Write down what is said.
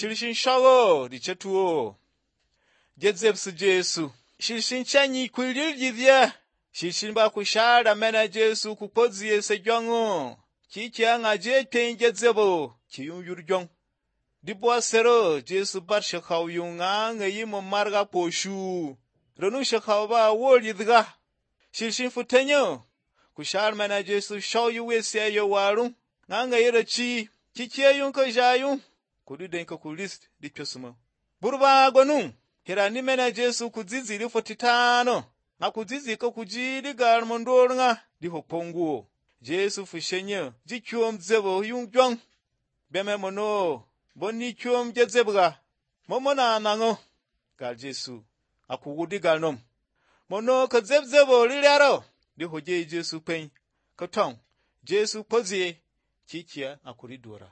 Shirshin shago di chetuo. Jedzebsu Jesu. Shirshin chanyi kwilil jidya. Shirshin ba kushara mena Jesu kupozi yese jongo. Kikia nga jeten jedzebo. Kiyun yurjong. Dibwa sero Jesu bar shakaw yunga nga yimo marga poshu. Ronu shakaw ba wol yidga. Shirshin futenyo. Kushara mena Jesu shaw yuwese yo warung. Nga yira chi. Kikia yung ka jayung. Kudu denka kulist di pyosumo. Burba gonu. Hirani mena Jesu kuzizi li 45. Nga kuzizi ka kujidi gar mondor nga di hoponguo. Jesu fushenye ji kyom zebo yung jong. Beme mono. Boni kyom jezebga. Momona nango. Gal Jesu. Akugudi gal nom. Mono ka zebzebo liliaro. Di hoje Jesu pen. Katong. Jesu pozie. Kikia akuridora.